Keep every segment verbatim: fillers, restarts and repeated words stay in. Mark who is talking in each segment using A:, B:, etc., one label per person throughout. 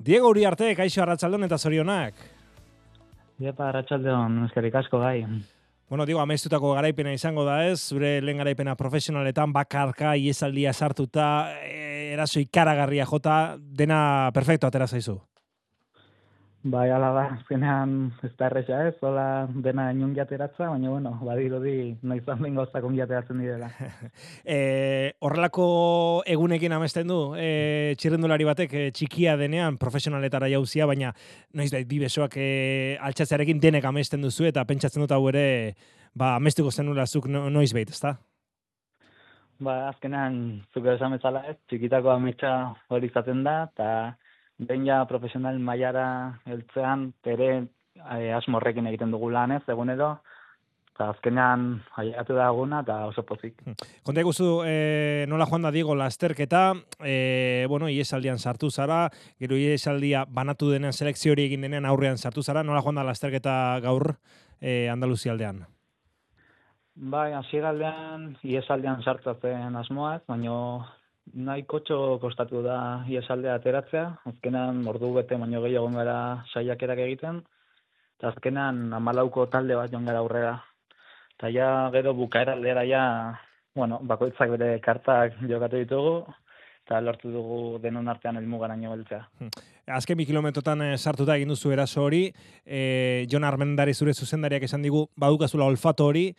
A: Diego Uriarte, kaixo arratsaldon eta zorionak.
B: Iepa, arratsaldeon, eskerrik asko gai.
A: Bueno, digo, amestutako garaipena izango da ez, zure lehen garaipena profesionaletan, bakarka, iesaldia sartuta, eraso ikaragarria jota, dena perfecto atera zaizu.
B: Bai, ala da, azkenean ez da erresa ez, hola dena inun jateratza, baina bueno, badirudi noiz handin gauzak ongiateratzen direla.
A: e, horrelako egunekin amesten du, e, txirrendulari batek e, txikia denean, profesionaletara jauzia, baina noiz da, bi besoak e, altxatzearekin denek amesten duzu, eta pentsatzen dut hau ere, ba, amestuko zenula zuk noiz behit, ezta?
B: Ba, azkenean, zuko esan bezala ez, txikitako ametsa hori izaten da, eta behin ja profesional mailara heltzean, ere e, asmorrekin egiten dugu lan ez, egunero, eta azkenean ailegatu da eguna, eta oso pozik.
A: Konta ikustu, e, nola joan da Diego lasterketa, e, bueno, iesaldian sartu zara, gero iesaldia banatu denean, selekzio hori egin denean aurrean sartu zara, nola joan da lasterketa gaur e, Andaluzia aldean?
B: Bai, hasigaldean iesaldean sartzatzen asmoaz, baina nahi kotxo kostatu da iesaldea ateratzea, azkenan ordu bete baino gehiago gara saiakerak egiten, eta azkenan hamalauko talde bat joan gara aurrera. Eta ja gero bukaera aldera ja, bueno, bakoitzak bere kartak jokatu ditugu, eta lortu dugu denon artean helmugaraino heltzea.
A: Azken bi kilometrotan e, sartuta egin duzu eraso hori, e, Jon Armendari zure zuzendariak esan digu, badukazula olfato hori,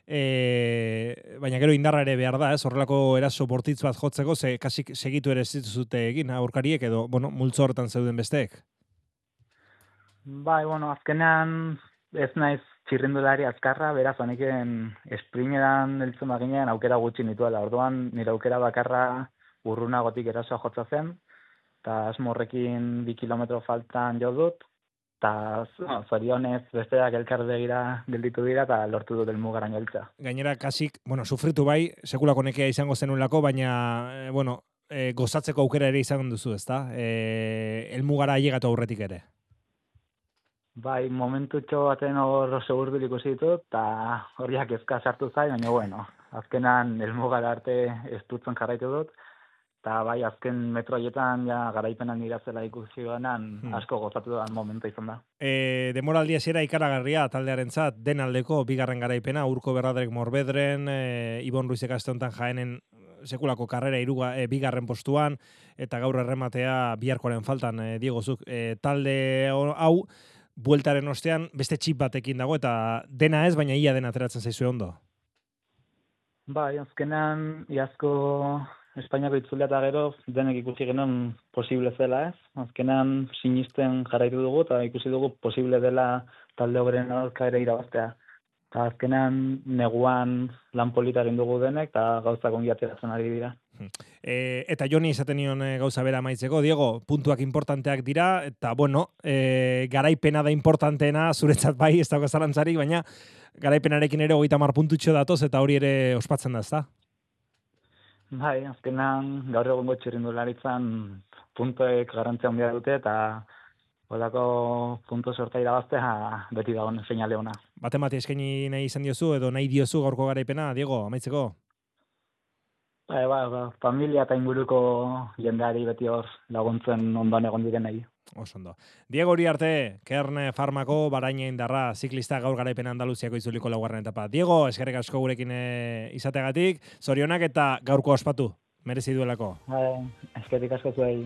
A: E, baina gero indarra ere behar da, ez? Horrelako eraso bortitz bat jotzeko, ze kasik segitu ere zituzute egin aurkariek edo, bueno, multzo horretan zeuden besteek.
B: Bai, bueno, azkenean ez naiz txirrindulari azkarra, beraz honeken esprimeran heltzen baginean aukera gutxi nituela. Orduan nire aukera bakarra urrunagotik erasoa jotza zen, eta asmorrekin bi kilometro faltan jo dut, eta no, zorionez besteak elkarbegira gelditu dira eta lortu dut helmugaraino heltzea.
A: Gainera, kasik, bueno, sufritu bai, sekulako nekea izango zenulako, baina, e, bueno, e, gozatzeko aukera ere izango duzu, ezta? E, helmugara ailegatu aurretik ere.
B: Bai, momentutxo baten hor segurbil ikusi ditut, eta horiak ezka sartu zai, baina bueno, azkenan helmugara arte estutzen jarraitu dut, eta bai, azken metro haietan ja, garaipenan irazela ikusi banan hmm. asko gozatu da momentu izan da.
A: E, demoraldia zera ikaragarria taldearentzat den aldeko bigarren garaipena, Urko Berradrek Morbedren, e, Ibon Ruizek aste honetan Jaenen sekulako karrera iruga, e, bigarren postuan, eta gaur errematea biharkoaren faltan, e, Diego zuk, e, talde hau, bueltaren ostean beste txip batekin dago, eta dena ez, baina ia dena ateratzen zaizue ondo.
B: Bai, azkenan iazko Espainiako itzulea eta gero denek ikusi genuen posible zela ez. Azkenan sinisten jarraitu dugu eta ikusi dugu posible dela talde horren aurka ere irabaztea. Eta azkenan neguan lan polita egin dugu denek eta gauzak ongi ateratzen ari dira.
A: E, eta Joni esaten nion e, gauza bera maitzeko, Diego, puntuak importanteak dira, eta bueno, e, garaipena da importanteena, zuretzat bai, ez dago zalantzarik, baina garaipenarekin ere hogeita hamar puntutxo datoz eta hori ere ospatzen da, ezta?
B: Bai, azkenan gaur egungo txirrindularitzan puntuek garrantzia handia dute eta holako puntu sorta irabaztea beti dagoen seinale ona.
A: Batemati eskaini nahi izan diozu edo nahi diozu gaurko garaipena, Diego, amaitzeko?
B: Bai, ba, ba, familia eta inguruko jendeari beti hor laguntzen ondoan egon direnei.
A: Oso ondo. Diego Uriarte, Kerne Farmako, Baraina Indarra, ziklista gaur garaipen Andaluziako izuliko laugarren etapa. Diego, eskerrik asko gurekin e, izateagatik, zorionak eta gaurko ospatu, merezi duelako.
B: Bai, eskerrik asko zuei.